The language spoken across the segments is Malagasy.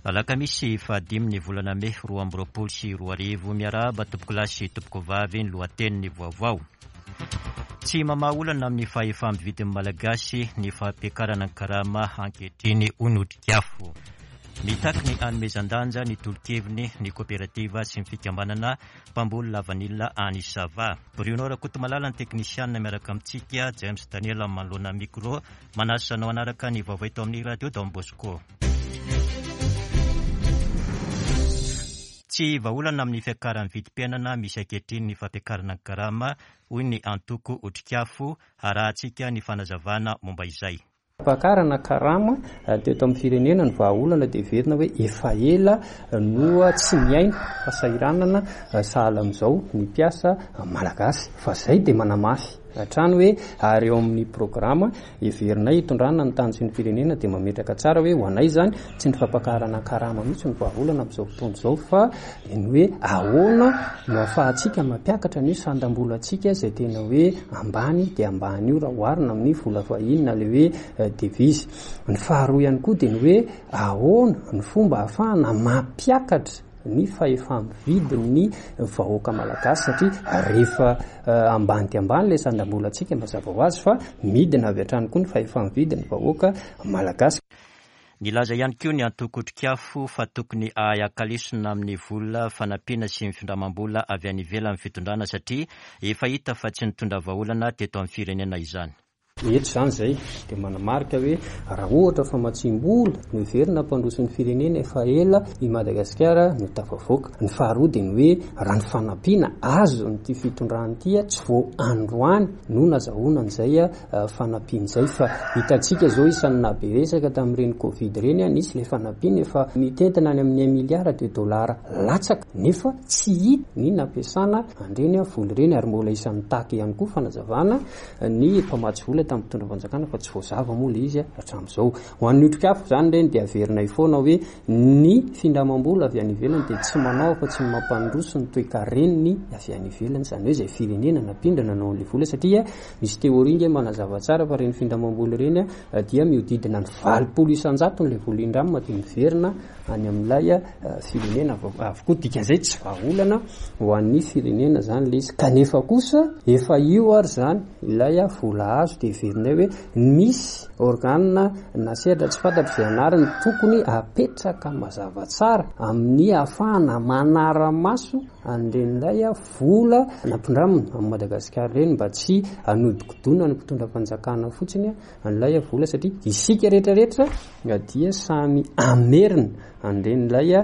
Alakamisy fahadimy ny volana mey 2022. Miarahaba tompokolahy sy tompokovavy ny lohatenin'ny vaovao. Tsy mamaha olana amin'ny fahefa-mividin'ny Malagasy ny fampiakarana ny karama ankehitriny hoy ny Otrikafo. Mitaky ny hanomezan-danja ny tolo-keviny ny koperativa sy ny fikambanana mpamboly lavanila any Sava. Bruno Rakotomalala ny teknisianina miaraka amintsika, James Daniel manoloana micro. Manasa anao hanaraka ny vaovao eto amin'ny Radio Don Bosco. Tsy vahaolana amin'ny fiakaran'ny vidim-piainana misy ankehitriny ny fampiakarana ny karama, hoy ny antoko Otrikafo. Harahantsika ny fanazavana momba izay. Fampakarana karama teto amin'ny firenena ny vahaolana dia heverina hoe efa ela no tsy niaina fahasahiranana sahala amin'izao ny mpiasa malagasy fa izay dia manamafy hatrany hoe ary eo amin'ny programa heverinay hitondrana ny tany sy ny firenena dia mametraka tsara hoe ho anay izany tsy ny fampakarana karama mihitsy no vahaolana amin'izao fotoana izao fa ny hoe ahoana no ahafahantsika mampiakatra ny sandam-bolantsika izay tena hoe ambany dia ambany io raha oharina amin'ny vola vahiny na ilay hoe devise. Ny faharoa ihany koa dia ny hoe ahoana ny fomba ahafahana mampiakatra ny fahefa-mividin'ny vahoaka malagasy satria rehefa ambany dia ambany ilay sandam-bolantsika mazava ho azy fa midina avy hatrany koa ny fahefa-mividin'ny vahoaka malagasy. Nilaza ihany koa ny antoko Otrikafo fa tokony hahay haka lesona amin'ny vola fanampiana sy ny findramam-bola avy any ivelany ny fitondrana satria efa hita fa tsy nitondra vahaolana teto amin'ny firenena izany. Eto izany izay dia manamarika hoe raha ohatra famatsiam-bola no heverina hampandroso ny firenena efa ela i Madagasikara no tafavoaka. Ny faharoa dia ny hoe raha ny fanampiana azon'ity fitondrana ity tsy vao androany no nazahoana an'izay fanampiana izay fa hitantsika izao isan'ny nahabe resaka tamin'ireny covid ireny nisy ilay fanampiana efa mitentina any amin'ny un milliard de dollars latsaka nefa tsy hita ny nampiasana an'ireny vola ireny ary mbola isan'ny mitaky ihany koa fanazavana ny mpamatsy vola tamin'ny mpitondra fanjakana fa tsy voazava moa ilay izy hatramin'izao. Ho an'ny otrikafo izany ireny dia averinay foana hoe ny findramam-bola avy any ivelany dia tsy manao afa-tsy ny mampandroso ny toekaren'ny avy any ivelany, izany hoe izay firenena nampindrana nanao an'ilay vola satria misy théorie nge manazava tsara fa ireny findramam-bola ireny dia mihodidina ny 80 isan-jatony ilay vola indramina dia miverina any amin'ilay firenena avokoa. Dikan'izay tsy vahaolana ho an'ny firenena izany ilay izy. Kanefa kosa efa io ary izany ilay vola azo dia heverinay hoe misy organe na sehatra tsy fantatro izay anarany tokony apetraka mazava tsara amin'ny ahafahana manara-maso an'iren'ilay vola nampindramina amin'i Madagasikara ireny mba tsy hanodikodonan'ny mpitondra fanjakana fotsiny an'ilay vola satria isika rehetra rehetra dia samy hamerina an'iren'ilay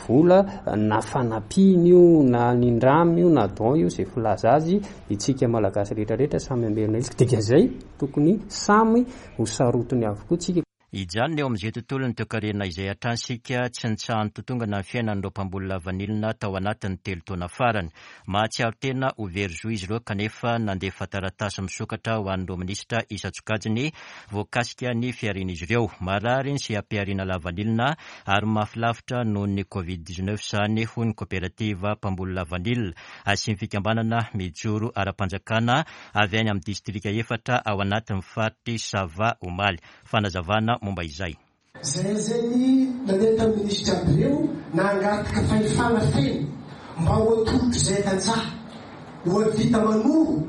vola na fanampiana io na nindrama io na don io izay filaza azy isika malagasy rehetra rehetra samy hamerina izy dikan'izay tokony samy ho sarotiny avokoa tsika. Hijanona eo amin'izay tontolon'ny toekarena izay hatrany isika, tsy nitsaha-nitotongana ny fiainan'ireo mpamboly lavanilina tao anatin'ny telo taona farany. Mahatsiaro tena ho very zo izy ireo kanefa nandefa taratasy misokatra ho an'ireo minisitra isan-tsokajiny voakasika ny fiharian'izy ireo. Marary ny seha-pihariana lavanilina ary mafy lavitra noho ny Covid 19 izany hoy ny koperativa mpamboly lavanila sy ny fikambanana mijoro ara-panjakana avy any amin'ny distrika efatra ao anatin'ny faritr'i Sava omaly. Fanazavana momba izay. Zay zay ny nandeha tamin'ny minisitra aby reo nangataka fahefana feno mba ho atolotro zay tantsaha ho avita manoro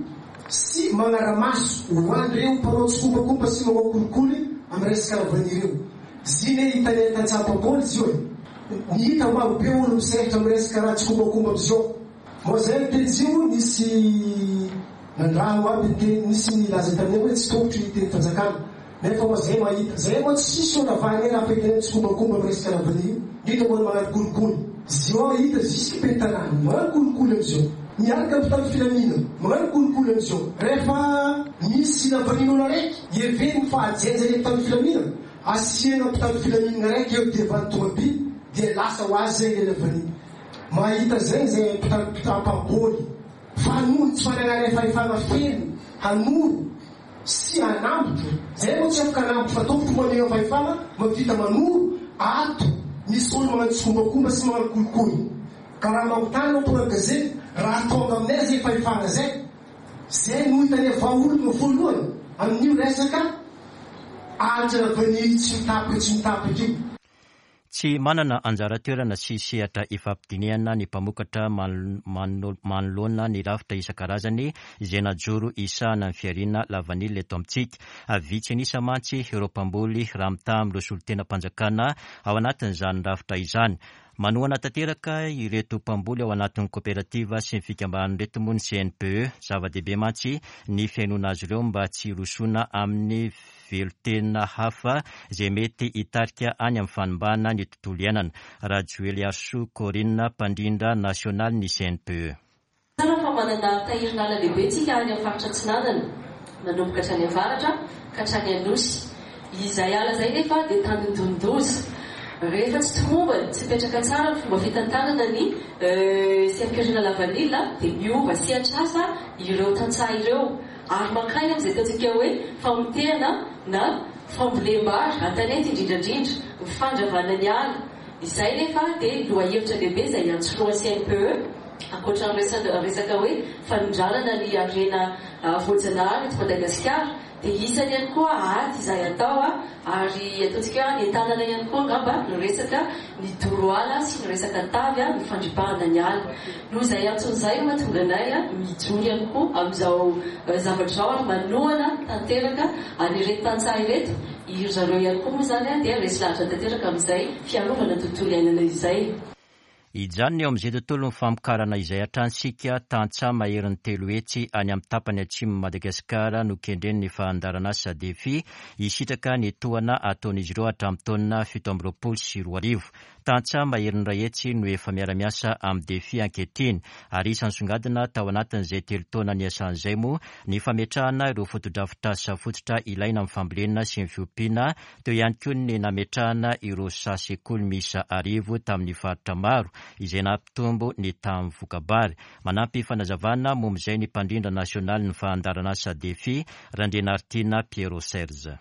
sy magnaramaso ho an reo mpanao tsikombakomba sy manao kolikoly am resaka lavany ireo. Zine hitanay tantsaha mpamboly zio e. Ny hita maro be olo misehatra am resaka raha tsikombakomba amzio. Moa zay ny teny zio nisy nandraho aby ny teny nisy nilaza taminay hoe tsy tongotry ny teny fanjakana. Nefa moa zay mahita zay moa tsisy olo avy any raha fahitana tsikombakomba am resaka lavanille io indrindra moa ny magnano kolikoly zio hita jusque be tanàna magnano kolikoly amzio miaraka am mpitandro filamina magnano kolikoly amzio refa misy lavanille olo araiky heveriny fa ajenja le mpitandro filamina asiana mpitandro filaminana raiky eo devant tomobile dia lasa ho azy zay le lavanille mahita zay zay mpitandro mpitampaboly fa noho ny tsy fanananay fahefana feno hanoro sy hanambotra, zay moa tsy afaka hanambotra fa tompoko maneho fahefana mahavita manoro ato misy olo magnano tsikombakomba sy magnano kolikoly ka raha mampitaha anao mpanao gazety raha tonga aminay zay fahefana zay zay no hitanay vahaolana voalohany amin'io resaka alitra lavanily tsy mitapaka tsy mitapaka io. Tsy manana anjara toerana sy sehatra ifampidinihana ny mpamokatra manoloana ny rafitra isan-karazany izay najoro hisahana ny fihariana lavanila eto amintsika. Vitsy an'isa mantsy ireo mpamboly raha mitaha amin'ireo solontenam-panjakana ao anatin'izany rafitra izany. Manohana tanteraka ireto mpamboly ao anatin'ny koperativa sy ny fikambanana ireto moa ny CNPE. Zava-dehibe mantsy ny fihainoana azy ireo mba tsy hirosoana amin'ny velon-tena hafa izay mety hitarika any amin'ny fanimbana ny tontolo iainana. Rajoeliarisoa Corine, mpandrindra nasionalin'ny CNPE. Tsara fa manana tahirin'ala lehibe tsika any amin'ny faritra atsinanana, manomboka hatrany avaratra ka hatrany Anosy. Izay ala izay nefa dia tandindonin-doza. Rehefa tsy tomombana, tsy mipetraka tsara ny fomba fitantanana ny seha-pihariana lavanila dia miova sehatr'asa ireo tantsaha ireo ary mankany amin'izay ataontsika hoe famotehana na fambolem-bary an-tanety indrindra indrindra, ny fandravana ny ala. Izay nefa dia lohahevitra lehibe izay iantsorohan'ny CNPE. Ankoatra ny resaka hoe fanondranana ny harena voajanahary eto Madagasikara dia isany ihany koa ady izay atao ary ataontsika hoe anentanana ihany koa angamba ny resaka ny doro ala sy ny resaka tavy ny fandripahana ny ala. Noho izay antony izay no mahatonga anay mijoro ihany koa amin'izao zavatra izao ary manohana tanteraka an'ireto tantsaha ireto, iry zareo ihany koa moa izany dia resy lahatra tanteraka amin'izay fiarovana ny tontolo iainana izay. Hijanona eo amin'izay tontolon'ny famokarana izay hatrany isika, tantsaha maherin'ny 300 any amin'ny tapany atsimon'i Madagasikara no kendren'ny fandaharanasa Defi hisitraka ny tohana ataon'izy ireo hatramin'ny taona 2027. Tantsaha maherin'ny 100 no efa miara-miasa amin'ny Defi ankehitriny ary isan'ny songadina tao anatin'izay telo taona niasany izay moa ny fametrahana ireo fotodrafitrasa fototra ilaina amin'ny fambolena sy ny fiompiana Teo ihany koa ny nametrahana ireo saha sekoly miisa 1000 tamin'ny faritra maro izay nampitombo ny tahan'ny voka-bary. Manampy fanazavana momba izay ny mpandrindra nasionalin'ny fandaharanasa Defi, Randrianaritiana Pierrot Serge.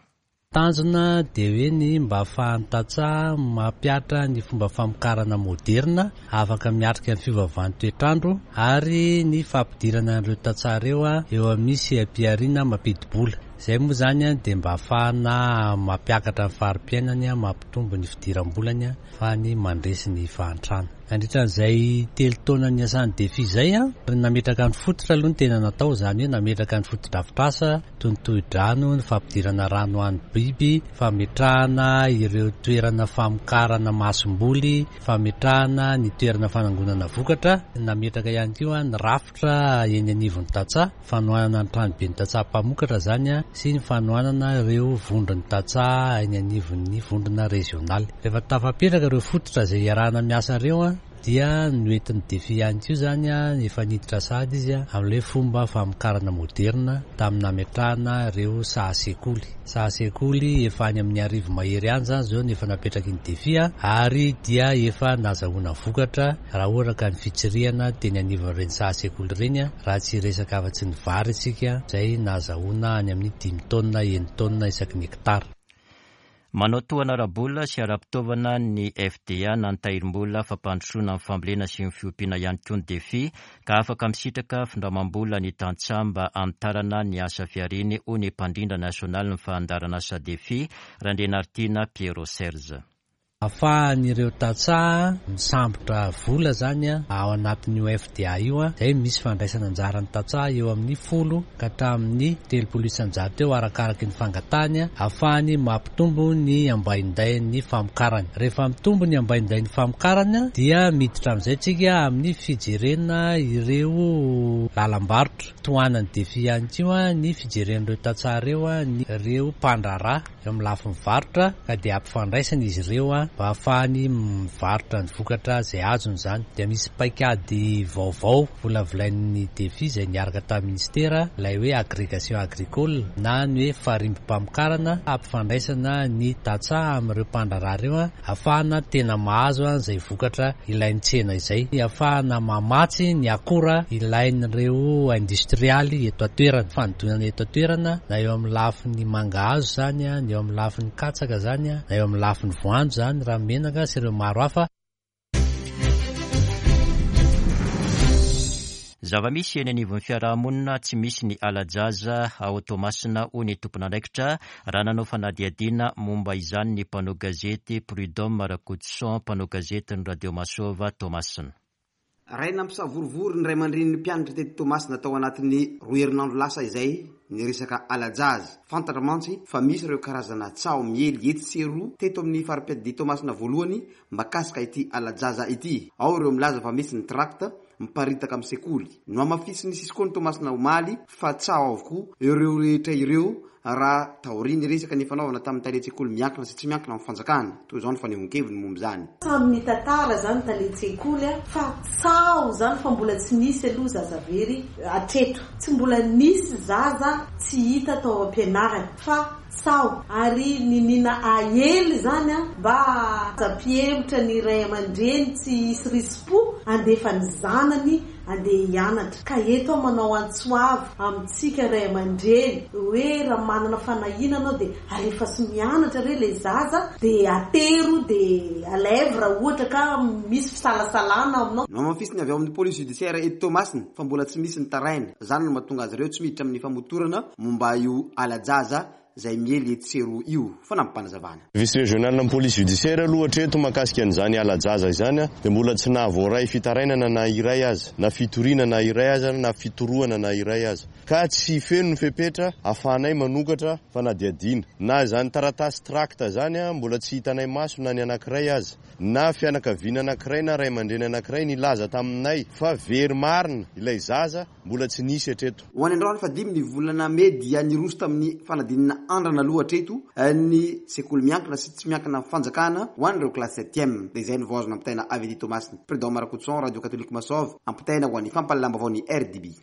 Tanjona dia hoe ny mba ahafahan'ny tantsaha mampihatra ny fomba famokarana moderina afaka miatrika ny fiovaovan'ny toetr'andro ary ny fampidirana an'ireo tantsaha ireo eo amin'ny seha-pihariana mampidi-bola. Izay moa izany dia mba ahafahana mampiakatra ny fari-piainany, mampitombo ny fidiram-bolany, ahafahany mandresy ny fahantrana. Nandritra an'izay telo taona niasan'ny Defi izay, nametraka ny fototra aloha ny tena natao, izany hoe nametraka ny fotodrafitrasa toy ny tohidrano, ny fampidirana rano ho an'ny biby, fametrahana ireo toerana famokarana masomboly, fametrahana ny toerana fanangonana vokatra, nametraka ihany koa ny rafitra eny anivon'ny tantsaha. Fanohanana ny tranoben'ny tantsaha mpamokatra izany sy ny fanohanana ireo vondron'ny tantsaha eny anivon'ny vondrona rezionaly. Rehefa tafapetraka ireo fototra izay iarahana miasa ireo dia noentin'ny Defi ihany koa izany, efa niditra sahady izy amin'ilay fomba famokarana moderina tamin'ny nametrahana ireo saha sekoly. Saha sekoly efa any amin'ny 1000 mahery any izany izao no efa napetraky ny Defi ary dia efa nazahoana vokatra raha ohatra ka ny fitsirihana teny anivon'ireny saha sekoly ireny, raha tsy hiresaka afa-tsy ny vary isika, izay nahazahoana any amin'ny dimy taonina, enin-taonina isaky ny hektara. Manao tohana ara-bola sy ara-pitaovana ny FDA na ny Tahirim-bola fampandrosoana ny fambolena sy ny fiompiana ihany koa ny Defi ka afaka misitraka findramam-bola ny tantsaha mba hanitarana ny asa fihariany hoy ny mpandrindra nasionalin'ny fandaharanasa Defi, Randrianaritiana Pierrot Serge. Ahafahan'ireo tantsaha misambotra vola izany ao anatin'io FDA io, izay misy fandraisana anjaran'ny tantsaha eo amin'ny 10 ka hatramin'ny 30% eo arakaraky ny fangatahany, ahafahany mampitombo ny ambaindain'ny famokarany. Rehefa mitombo ny ambaindain'ny famokarana dia miditra amin'izay tsika amin'ny fijerena ireo lalam-barotra. Tohanan'ny Defi ihany koa ny fijeren'ireo tantsaha ireo ny ireo mpandraharaha. eo amin'ny lafiny varotra ka dia ampifandraisana izy ireo mba hahafahany mivarotra ny vokatra izay azony izany. Dia misy paikady vaovao volavolain'ny Defi izay niaraka tamin'ny Minisitera, ilay hoe agrégation agricole na ny hoe farimbom-pamokarana hampifandraisana ny tantsaha amin'ireo mpandraharaha ireo Ahafahana tena mahazo izay vokatra ilain'ny tsena izay. Ahafahana mamatsy ny akora ilain'ireo industrialy eto an-toerana. Fanodinana eto an-toerana na eo amin'ny lafiny mangahazo izany, na eo amin'ny lafiny katsaka izany, na eo amin'ny lafiny voanjo izany, ranomenaka sy ireo maro hafa. Zava-misy eny anivon'ny fiarahamonina, tsy misy ny hala-jaza ao Toamasina hoy ny tompon'andraikitra raha nanao fanadihadiana momba izany ny mpanao gazety Prud'homme Rakotoson, mpanao gazetin'ny Radio Masova Toamasina. Ray nampisavorovoro ny ray aman-drenin'ny mpianatra teto Toamasina tao anatin'ny roa herinandro lasa izay ny resaka hala-jaza. Fantatra mantsy fa misy ireo karazana tsaho miely etsy sy eroa teto amin'ny fari-piadidia Toamasina voalohany mahakasika ity hala-jaza ity. Ao ireo milaza fa misy ny tract miparitaka amin'ny sekoly. Nohamafisin'ny Cisco-n'i Toamasina omaly fa tsaho avokoa ireo rehetra ireo raha taorian'ny resaka nifanaovana tamin'ny talen-tsekoly miankina sy tsy miankina amin'ny fanjakana. Toy izao ny fanehoan-keviny momba izany. Samy nitantara izany talen-tsekoly fa tsaho izany fa mbola tsy nisy aloha zaza very hatreto. Tsy mbola nisy zaza tsy hita tao am-pianarana fa tsaho ary niniana aely izany mba hampihemotra ny ray aman-dreny tsy hisy risi-po handefa ny zanany andeha hianatra. Ka eto aho manao antso avo amintsika ray aman-dreny hoe raha manana fanahiana anao dia alefaso mianatra re ilay zaza dia atero dia alaivo raha ohatra ka misy fisalasalana aminao. Nohamafisiny avy ao amin'ny police judiciaire eto Toamasina fa mbola tsy misy ny taraina. Izany no mahatonga azy ireo tsy miditra amin'ny famotorana momba io hala-jaza izay miely etsy sy eroa io. Fanampim-panazavana. Vice régional ny police judiciaire aloha hatreto mahakasika an'izany hala-jaza izany dia mbola tsy nahavoaray fitarainana na iray aza, na fitoriana na iray aza, na fitorohana na iray aza. Ka tsy feno ny fepetra ahafahanay manokatra fanadihadiana. Na izany taratasy tract izany mbola tsy hitanay maso na ny anankiray aza. Na fianakaviana anankiray na ray aman-dreny anankiray nilaza taminay fa very marina ilay zaza mbola tsy nisy hatreto. Ho any androany fahadimy ny volana mey dia niroso tamin'ny fanadinana andrana aloha hatreto ny sekoly miankina sy tsy miankina fanjakana ho an'ireo kilasy septième. Dia izay no vao azo nampitaina avy aty Toamasina. Prud'homme Rakotoson, Radio Catholique Masov, ampitaina ho an'ny fampahalalam-baovaon'ny RDB.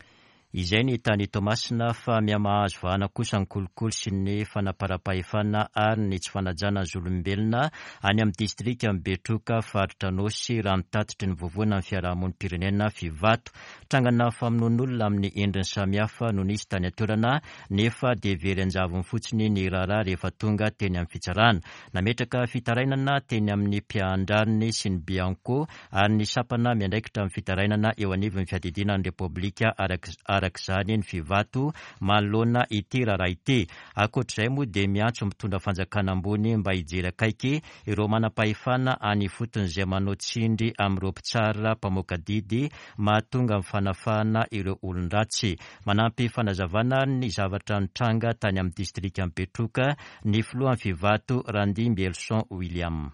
Izay ny tany Toamasina fa mihamahazo vahana kosa ny kolikoly sy ny fanaparam-pahefana ary ny tsy fanajana ny zon'olombelona any amin'ny distrikan'i Betroka, faritra Anôsy, raha ny tatitry ny vovonan'ny fiarahamonim-pirenena Fivato. Trangana famonoan'olona amin'ny endriny samihafa no nisy tany an-toerana nefa dia very an-javony fotsiny ny raharaha rehefa tonga teny amin'ny fitsarana. Nametraka fitarainana teny amin'ny mpiahandrariny sy ny Bianco ary ny sampana miandraikitra ny fitarainana eo anivon'ny fiadidiana ny Repoblika araka izany ny Fivato manoloana ity raharaha ity. Ankoatr'izay moa dia miantso mpitondra fanjakana ambony mba hijery akaiky ireo manam-pahefana any ifotony izay manao tsindry amin'ireo mpitsara mpamoaka didy mahatonga ny fanafahana ireo olon-dratsy. Manampy fanazavana ny zavatra nitranga tany amin'ny distrikan'i Betroka ny filohan'ny Fivato Randimbielson William.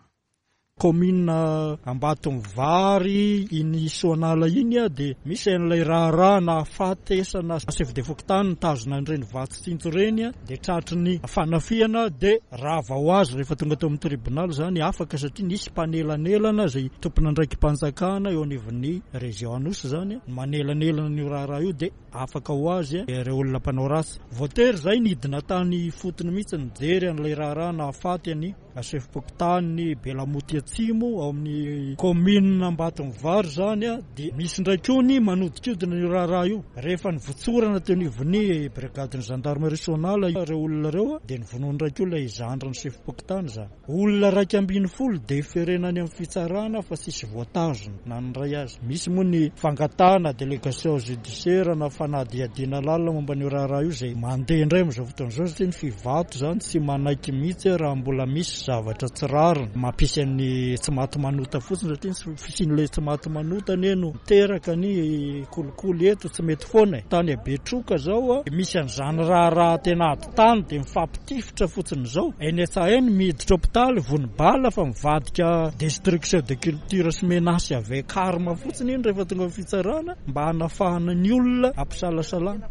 Kaominina Ambatomivary iny Soanala iny dia misy an'ilay raharaha nahafatesana chef de fokontany nitazona an'ireny vatsy tsinjo ireny dia tratry ny fanafihana dia rava ho azy rehefa tonga teo amin'ny tribonaly izany afaka satria nisy mpanelanelana izay tompon'andraiki-panjakana eo anivon'ny région Anosy izany manelanelana an'io raharaha io dia afaka ho azy ireo olona mpanao ratsy. Voatery izahay nidina tany ifotony mihitsy nijery an'ilay raharaha nahafaty an'i Sefom-pokontany Belamoty Atsimo ao amin'ny kaominina Ambatomivary izany dia misy indray koa ny manodinkodina io raharaha io. Rehefa nivotsorana teo anivon'ny brigadin'ny gendarmerie Soanala ireo olona ireo dia novonoina indray koa ilay zandrin'ny sefom-pokontany izany. Olona 11 deferena any amin'ny fitsarana fa tsisy voatazona na ny iray aza. Misy moa ny fangatahana délégation judiciaire na fanadihadiana lalina momba an'io raharaha io izay mandeha indray amin'izao fotoana izao satria ny Fivato izany tsy manaiky mihitsy raha mbola misy zavatra tsy rariny mampisy an'ny tsy maty manota fotsiny satria ny fisian'ilay tsy maty manota anie no miteraka ny kolikoly eto tsy mety foana e. Tany Betroka izao misy an'izany raharaha tena ady tany dia mifampitifitra fotsiny izao. Eny Antsahainy miditra hopitaly vono bala fa mivadika destruction de culture sy menace avec arme fotsiny iny rehefa tonga amin'ny fitsarana mba hanafahana ny olona ampisalasalana.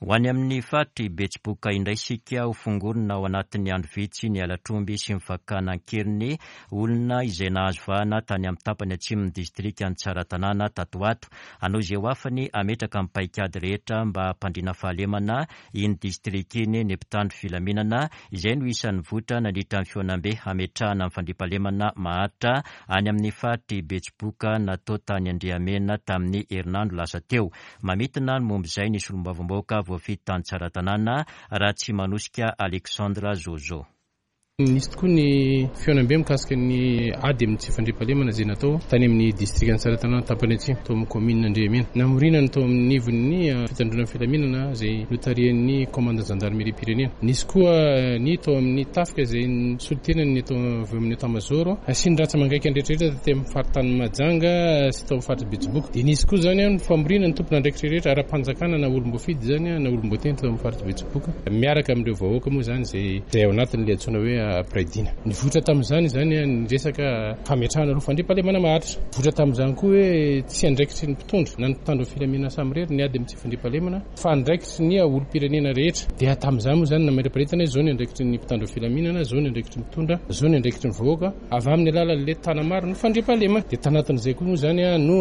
Ho any amin'ny faritr'i Betsiboka indray isika, ho fongorina ao anatin'ny andro vitsy ny halatr'omby sy ny fakana an-keriny olona izay nahazo vahana tany amin'ny tapany atsimon'ny distrikan'i Tsaratanàna tato ho ato. Hanao izay ho afany hametraka ny paikady rehetra mba hampandriana fahalemana iny distrika iny ny mpitandro filaminana, izay no isan'ny votra nandritra ny fihaonambe hametrahana ny fandriampahalemana maharitra any amin'ny faritr'i Betsiboka natao tany Andriamena tamin'ny herinandro lasa teo. Mamintina ny momba izay ny solombavambahoaka voafidy tany Tsaratanàna, Ratsimanosika Alexandre Zozo. Nisy tokoa ny fihaonambe mikasika ny ady amin'ny tsy fandriampahalemana izay natao tany amin'ny distrikan'i Tsaratanàna tapany atsimo, tao amin'ny kaominina Andriamena. Namoriana ny tao amin'ny anivon'ny fitandroana ny filaminana izay notarihan'ny kaomandan'ny zandarimeriam-pirenena. Nisy koa ny tao amin'ny tafika izay nisolo tena ny tao avy amin'ny Etat-Major sy ny rantsa-mangaikany rehetra rehetra taty amin'ny faritanin'i Mahajanga sy tao amin'ny faritr'i Betsiboka. Dia nisy koa izany ny famoriana ny tompon'andraikitra rehetra ara-panjakana na olom-boafidy izany na olom-boatendry tao amin'ny faritr'i Betsiboka miaraka amin'ireo vahoaka moa izany izay Izay ao anatin'ilay antsoina hoe mpiray dina. Nivoitra tamin'izany izany ny resaka fametrahana aloha fandriampahalemana maharitra. Nivoitra tamin'izany koa hoe tsy andraikitry ny mpitondra na ny mpitandro ny filaminana samirery ny ady amin'ny tsy fandriampahalemana fa andraikitry ny olom-pirenena rehetra. Dia tamin'izany moa izany nametraparitana hoe izao ny andraikitry ny mpitandro ny filaminana, izao ny andraikitry ny mpitondra, izao ny andraikitry ny vahoaka avy amin'ny alalan'ilay tanamaro ny fandriampahalemana. Dia tanatin'izay koa moa izany no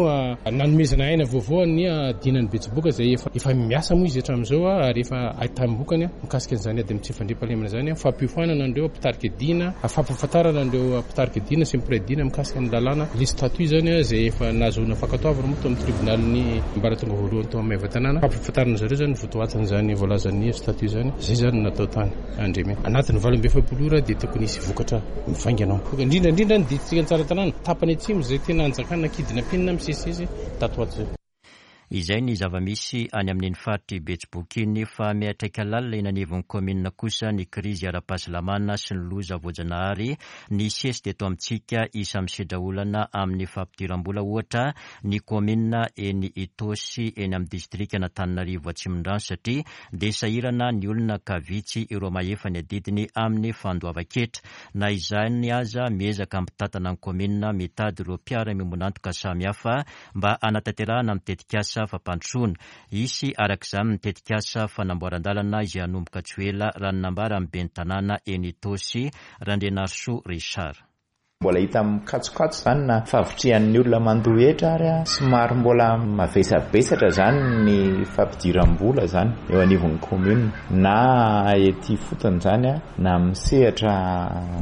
nanomezana aina vaovao ny dinan'i Betsiboka izay efa miasa moa izy hatramin'izao ary efa ahitam-bokany. Mikasika an'izany ady amin'ny tsy fandriampahalemana izany, fampiofanana an'ireo mpitarika dina, fampahafantarana an'ireo mpitarika dina sy ny mpiray dina mikasika ny lalàna, le statut izany izay efa nahazoana fankatoavana moa tao amin'ny tribonalin'ny ambaratonga voalohany tao Maevatanàna, fampahafantarana zareo izany ny votoatin'izany voalazan'ny statut izany, izay izany no natao tany Andriamena. Anatin'ny 48 ora dia tokony hisy vokatra mivaingana ao. Indrindra indrindra ny distrikan'i Tsaratanàna, tapany atsimo izay tena anjakana kidnapping misesisesy tato ho ato izay. Izay ny zava-misy any amin'iny faritr'i Betsiboka iny fa miantraika lalina eny anivon'ny kaominina kosa ny krizy ara-pahasalamana sy ny loza voajanahary nisesy teto amintsika. Isan'ny misedra olana amin'ny fampidiram-bola ohatra ny kaominina eny Itaosy eny amin'ny distrikan'Antananarivo Atsimondrano satria dia sahirana ny olona ka vitsy ireo mahefa ny adidiny amin'ny fandoavan-ketra. Na izany aza miezaka mitantana ny kaominina mitady ireo mpiara-miombon'antoka samihafa mba hanatanterahana ny tetikasa fampandrosoana. Hisy araka izany ny tetikasa fanamboaran-dalana izay hanomboka tsy ho ela raha ny nambaran'ny ben'ny tanàna eny Itaosy, Randrianarisoa Richard. Mbola hita mikatsokatso izany na fahavitrihan'ny olona mandoa hetra ary somary mbola mavesabesatra izany ny fampidiram-bola izany eo anivon'ny commune na ety ifotony izany na amin'ny sehatra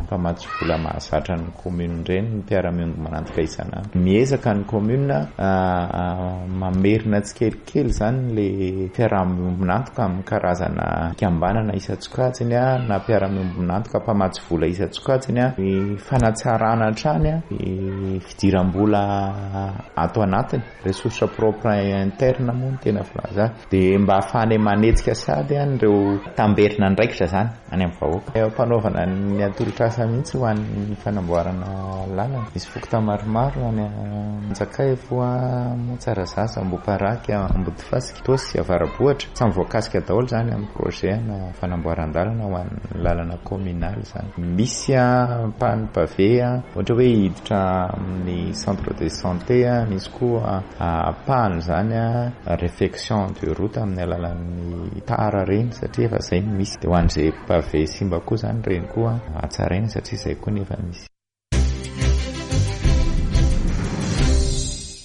mpamatsy vola mahazatra ny commune ireny ny mpiara-miombon'antoka isan'andro. Miezaka ny commune mamerina tsikelikely izany ilay fiaraha-miombon'antoka amin'ny karazana fikambanana isan-tsokajiny na mpiara-miombon'antoka mpamatsy vola isan-tsokajiny, ny fanatsarana hatrany ny fidiram-bola ato anatiny, ressources propres internes moa no tena filaza azy, dia mba ahafahanay manetsika sahady an'ireo tamberin'andraikitra izany. any amin'ny vahoaka. Eo am-panaovana ny atolotr'asa mihitsy ho an'ny fanamboarana lalana. Misy fokontany maromaro any Anjakaivo, Tsarazaza, Ambohiparaky, Ambodifasika, Itaosy, Avarabohitra. Samy voakasika daholo izany amin'ny projet ana fanamboaran-dalana ho an'ny lalana communale izany. Misy ampahany pavé, ohatra hoe hiditra amin'ny centre de santé, misy koa ampahany izany réfection de route amin'ny alalan'ny tara ireny satria efa izay no misy. Dia ho an'izay pavé simba koa izany ireny koa hatsaraina satria izay koa no efa misy.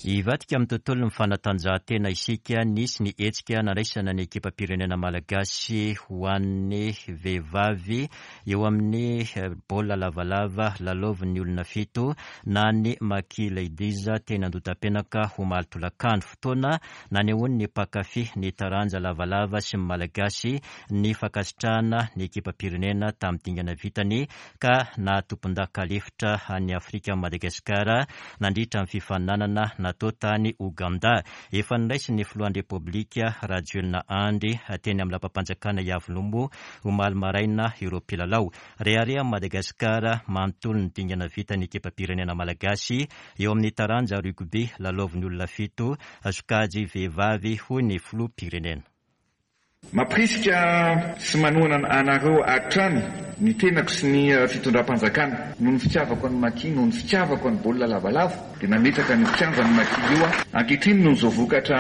Hivadika amin'ny tontolon'ny fanatanjahantena isika. Nisy ny hetsika nandraisana ny ekipam-pirenena malagasy ho an'ny vehivavy eo amin'ny baolina lavalava lalaovin'ny olona fito na ny Maki Ladies teny Andotapenaka omaly tolakandro. Fotoana nanehoan'ny mpankafy ny taranja lavalava sy ny Malagasy ny fankasitrahana ny ekipam-pirenena tamin'ny dingana vitany ka nahatompondaka lefitra an'i Afrika Madagasikara nandritra ny fifaninanana natao tany Ouganda. Efa noraisin'ny filohan'ny Repoblika Rajoelina Andry teny amin'ny lapam-panjakana Iavoloha moa omaly maraina ireo mpilalao. Reharehan'i Madagasikara manontolo ny dingana vitan'ny ekipam-pirenena malagasy eo amin'ny taranja rugby lalaovin'ny olona fito, sokajy vehivavy, hoy ny filoham-pirenena. Mampirisika sy manohana anareo hatrany ny tenako sy ny fitondram-panjakana. Noho ny fitiavako an'i Maki, noho ny fitiavako an'i baolina lavalava dia nametraka an'io kianjan'i Maki io aho. Ankehitriny noho izao vokatra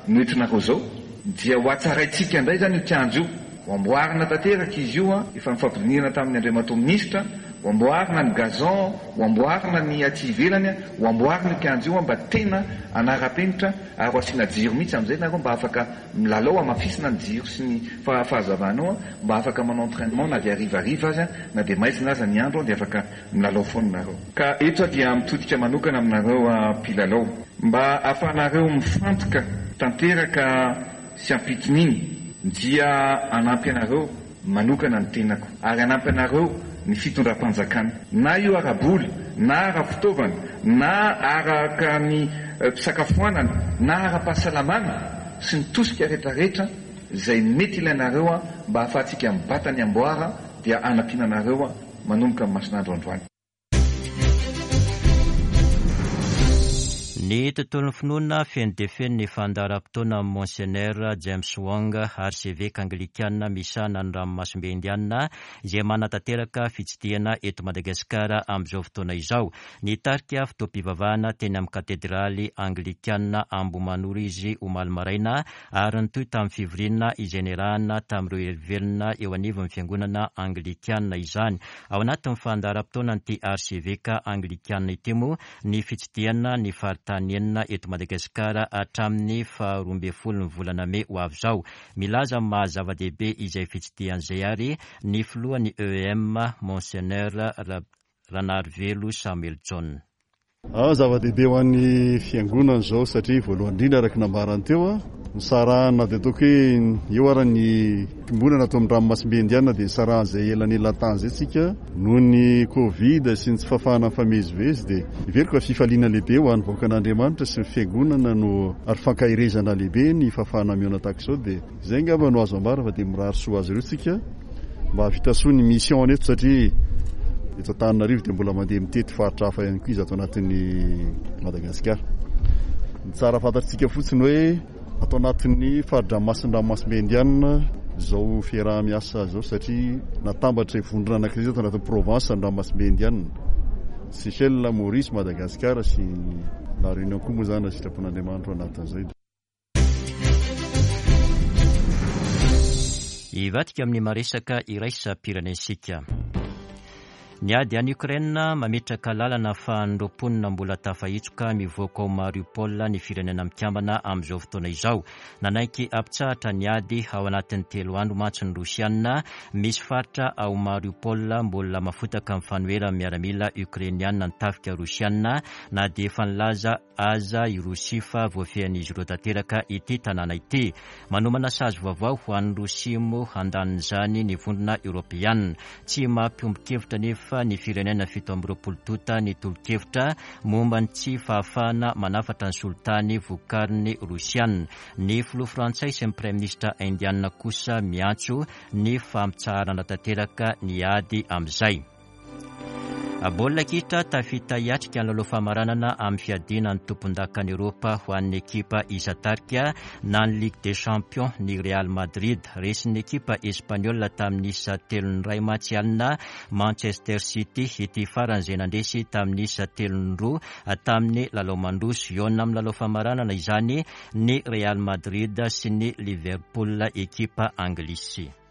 noentinareo izao dia ho hatsaraintsika indray izany io kianja io. Ho amboarina tanteraka izy io, efa nifampidinihana tamin'ny Andriamatoa Minisitra, ho amboarina ny gazon, ho amboarina ny aty ivelany, ho amboarina io kianja io mba tena hanara-penitra ary ho asiana jiro mihitsy amin'izay nareo mba afaka milalao, hamafisina ny jiro sy ny fahazavana ao mba afaka manao entrainement na dia harivariva aza na dia maizina aza ny andro dia afaka milalao foana nareo. Ka eto aho dia mitodika manokana aminareo mpilalao mba ahafahanareo mifantoka tanteraka sy ampitoniana dia hanampy anareo manokana ny tenako ary hanampy anareo. ny fitondram-panjakana. Na io ara-bola, na ara-pitaovana, na araka ny fisakafoanana, na ara-pahasalamana sy ny tosika rehetrarehetra izay mety ilainareo mba hahafahantsika mibata ny amboara dia hanampiana anareo manomboka amin'ny masin'andro androany. Ny tontolon'ny finoana feno dia feno ny fandaharam-potoana amin'i Monsenera James Wong, arseveka anglikana misahana ny ranomasimbe Indiana, izay manatanteraka fitsidihana eto Madagasikara amin'izao fotoana izao. Nitarika fotoam-pivavahana teny amin'ny katedraly anglikana Ambohimanoro izy omaly maraina ary nitohy tamin'ny fivoriana izay niarahana tamin'ireo herivelona eo anivon'ny fiangonana anglikana izany. Ao anatin'ny fandaharam-potoanan'ity arseveka anglikana ity moa ny fitsidihana ny faritany enina eto Madagasikara hatramin'ny faha 12 ny volana mey ho avy izao. Milaza ny maha zava-dehibe izay fitsidihana izay ary ny filohan'ny EEM, Monseigneur Ranarivelo Samuel Jaona. Zava-dehibe ho an'ny fiangonana izao satria voalohany indrindra araka ny nambarany teo, nisarahana dia ataoko hoe eo ara ny fiombonana ato amin'ny ranomasimbe Indiana dia nisarahan'izay elanelan-tany izay tsika noho ny Covid sy ny tsy fahafahana mifamezivezy dia heveriko fa fifaliana lehibe ho an'ny vahoakan'Andriamanitra sy ny fiangonana no ary fankaherezana lehibe ny fahafahana mihaona tahaka izao dia Izay angamba no azo ambara fa dia mirary soa azy ireo tsika mba hahavita soa ny mission-ny eto satria eto Antananarivo dia mbola mandeha mitety faritra hafa ihany koa izy ato anatin'ny Madagasikara. Ny tsara fantatritsika fotsiny hoe ato anatin'ny fari-dranomasin'ny ranomasimbe Indiana izao fiaraha-miasa izao satria natambatra izay vondrona anankiray izay ato anatin'ny Provence ny ranomasimbe Indiana. Seychelles, Maurice, Madagasikara sy La Réunion koa moa izany raha sitrapon'Andriamanitra ao anatin'izay. Hivadika amin'ny maresaka iraisam-pirenentsika. Ny ady any Ukraine mametraka lalana ahafahan'ireo mponina mbola tafahitsoka mivoaka ao Mariupol ny Firenena Mikambana amin'izao fotoana izao. Nanaiky hampitsahatra ny ady ao anatin'ny telo andro mantsy ny Rosiana. Misy faritra ao Mariupol mbola mafotaka amin'ny fanoheran'ny miaramila Ukrainiana ny tafika Rosiana na dia efa nilaza aza i Rosia fa voafehin'izy ireo tanteraka ity tanàna ity. Manomana sazy vaovao ho an'i Rosia moa handanin'izany ny Vondrona Eoropeana. Tsy mampiombon-kevitra anefa ny firenena 27 tonta ny tolo-kevitra momba ny tsy fahafahana manafatra ny solitany vokarin'ny Rosiana. Ny filoha frantsay sy ny praiminisitra indiana kosa miantso ny fampitsaharana tanteraka ny ady amin'izay. Baolina kitra, tafita hiatrika ny lalao famaranana amin'ny fiadiana ny tompondakan'i Eoropa ho an'ny ekipa isan-tarika na ny Ligue des Champions ny Real Madrid. Resin'ny ekipa espaniola tamin'ny isa telo ny iray mantsy alina Manchester City ity farany izay nandresy tamin'ny isa telo ny roa tamin'ny lalao mandroso. Hihaona amin'ny lalao famaranana izany ny Real Madrid sy ny Liverpool ekipa anglisy.